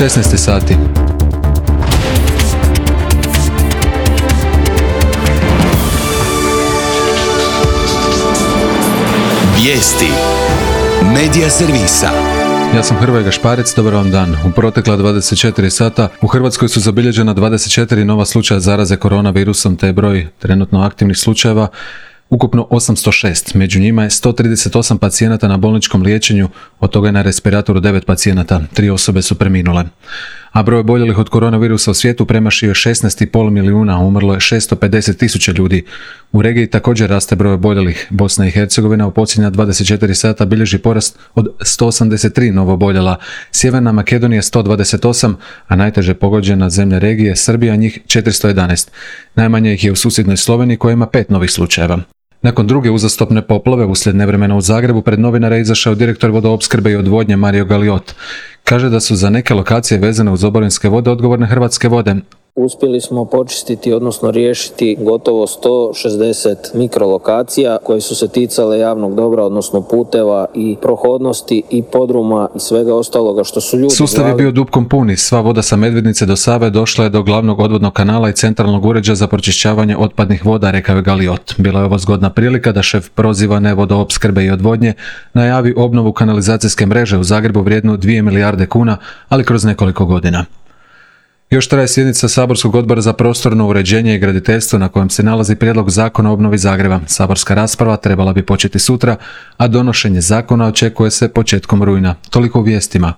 16 sati. Vijesti Medija servisa. Ja sam Hrvoje Gašparec, dobar vam dan. U protekla 24 sata u Hrvatskoj su zabilježena 24 nova slučaja zaraze koronavirusom, te je broj trenutno aktivnih slučajeva ukupno 806. Među njima je 138 pacijenata na bolničkom liječenju, od toga je na respiratoru 9 pacijenata, 3 osobe su preminule. A broj oboljelih od koronavirusa u svijetu premašio je 16,5 milijuna, umrlo je 650.000 ljudi. U regiji također raste broj oboljelih. Bosna i Hercegovina u posljednja 24 sata bilježi porast od 183 novooboljela, Sjeverna Makedonija 128, a najteže pogođena zemlja regije Srbija, njih 411. Najmanje ih je u susjednoj Sloveniji koja ima 5 novih slučajeva. Nakon druge uzastopne poplave uslijed nevremena u Zagrebu pred novinare izašao direktor vodoopskrbe i odvodnje Mario Galiot. Kaže da su za neke lokacije vezane uz oborinske vode odgovorne Hrvatske vode. Uspjeli smo počistiti, odnosno riješiti gotovo 160 mikrolokacija koje su se ticale javnog dobra, odnosno puteva i prohodnosti i podruma i svega ostaloga što su ljudi. Sustav je bio dupkom puni, sva voda sa Medvednice do Save došla je do glavnog odvodnog kanala i centralnog uređaja za pročišćavanje otpadnih voda, rekao je Galiot. Bila je ovo zgodna prilika da šef prozivane vodoopskrbe i odvodnje najavi obnovu kanalizacijske mreže u Zagrebu vrijednu 2 milijarde kuna, ali kroz nekoliko godina. Još traje sjednica Saborskog odbora za prostorno uređenje i graditeljstvo na kojem se nalazi prijedlog zakona o obnovi Zagreba. Saborska rasprava trebala bi početi sutra, a donošenje zakona očekuje se početkom rujna. Toliko u vijestima.